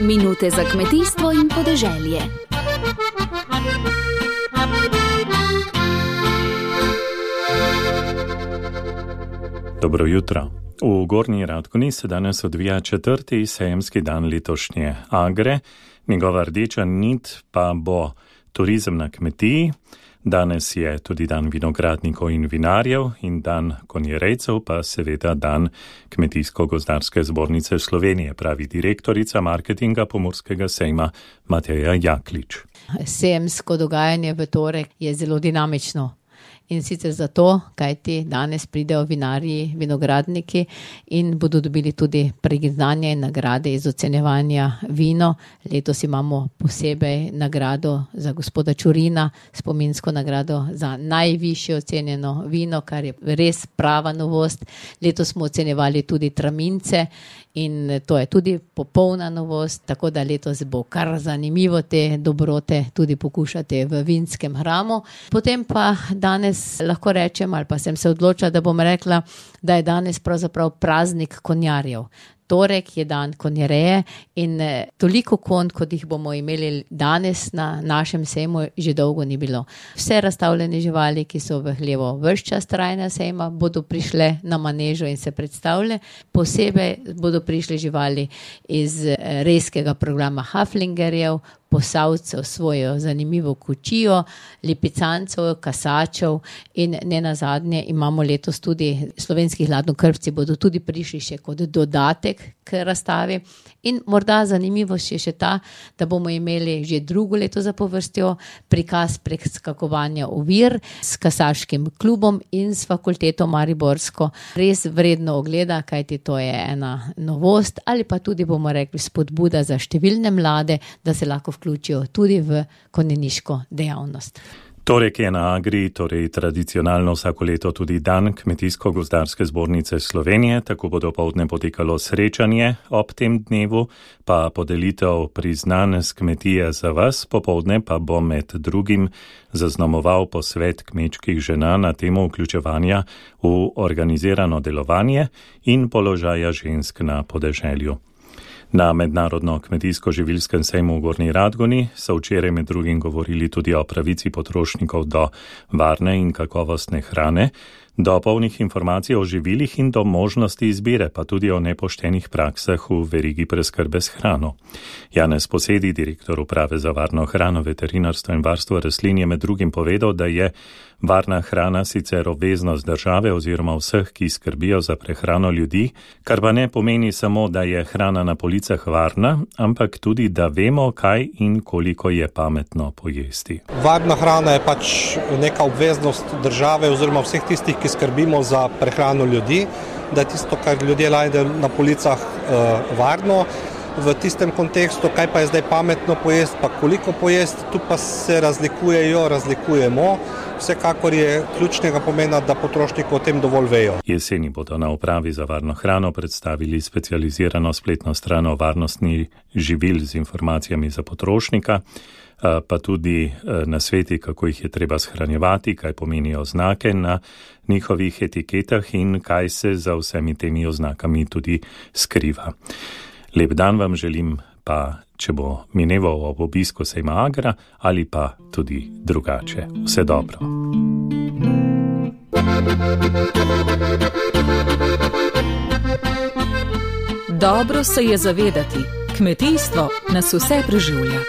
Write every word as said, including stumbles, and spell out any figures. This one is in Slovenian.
Minute za kmetijstvo in podeželje. Dobro jutro. V Gornji Radgoni se danes odvija četrti sejemski dan letošnje Agre. Njegova rdeča nit pa bo turizem na kmetiji. Danes je tudi dan vinogradnikov in vinarjev in dan konjerejcev, pa seveda dan Kmetijsko-gozdarske zbornice Slovenije, pravi direktorica marketinga Pomurskega sejma Mateja Jaklič. Sejemsko dogajanje v torek je zelo dinamično. In sicer zato, kajti danes pridejo vinarji, vinogradniki in bodo dobili tudi priznanje in nagrade iz ocenjevanja vino. Letos imamo posebej nagrado za gospoda Čurina, spominsko nagrado za najvišje ocenjeno vino, kar je res prava novost. Letos smo ocenjevali tudi tramince in to je tudi popolna novost, tako da letos bo kar zanimivo te dobrote tudi pokušati v vinskem hramu. Potem pa danes lahko rečem, ali pa sem se odločila, da bom rekla, da je danes pravzaprav praznik konjarjev. Torek je dan konjereje in toliko konj, kot jih bomo imeli danes na našem sejmu, že dolgo ni bilo. Vse razstavljene živali, ki so v hlevu ves čas trajanja sejma, bodo prišle na manežo in se predstavile. Posebej bodo prišli živali iz rejskega programa Haflingerjev, posavcev svojo zanimivo kočijo, lipicancev, kasačev in ne nazadnje imamo letos tudi slovenski hladnokrvci bodo tudi prišli še kot dodatek k razstavi. In morda zanimivost je še ta, da bomo imeli že drugo leto zapovrstjo prikaz preskakovanja ovir s kasaškim klubom in s fakulteto Mariborsko. Res vredno ogleda, kajti to je ena novost ali pa tudi bomo rekli spodbuda za številne mlade, da se lahko vključijo tudi v konjeniško dejavnost. Torek je na Agri, torej tradicionalno vsako leto tudi dan Kmetijsko-gozdarske zbornice Slovenije, tako bo dopoldne potekalo srečanje ob tem dnevu, pa podelitev priznanj s kmetije za vas, popoldne pa bo med drugim zaznamoval posvet kmečkih žena na temo vključevanja v organizirano delovanje in položaja žensk na podeželju. Na mednarodno kmetijsko-živilskem sejmu v Gornji Radgoni so včeraj med drugim govorili tudi o pravici potrošnikov do varne in kakovostne hrane, do polnih informacij o živilih in do možnosti izbire, pa tudi o nepoštenih praksah v verigi preskrbe s hrano. Janez Posedi, direktor uprave za varno hrano, veterinarstvo in varstvo rastlin, je med drugim povedal, da je varna hrana sicer obveznost države oziroma vseh, ki skrbijo za prehrano ljudi, kar pa ne pomeni samo, da je hrana na policah varna, ampak tudi, da vemo, kaj in koliko je pametno pojesti. Varna hrana je pač neka obveznost države oziroma vseh tistih, ki skrbimo za prehrano ljudi, da je tisto, kar ljudje najdejo na policah, varno. V tistem kontekstu, kaj pa je zdaj pametno pojesti, pa koliko pojesti, tu pa se razlikujejo, razlikujemo. Vsekakor je ključnega pomena, da potrošniki o tem dovolj vejo. Jeseni bodo na upravi za varno hrano predstavili specializirano spletno stran o varnosti živil z informacijami za potrošnika, pa tudi nasveti, kako jih je treba shranjevati, kaj pomenijo oznake na njihovih etiketah in kaj se za vsemi temi oznakami tudi skriva. Lep dan vam želim, pa če bo mineval ob obisku sejma Agra ali pa tudi drugače. Vse dobro. Dobro se je zavedati, kmetijstvo nas vse preživlja.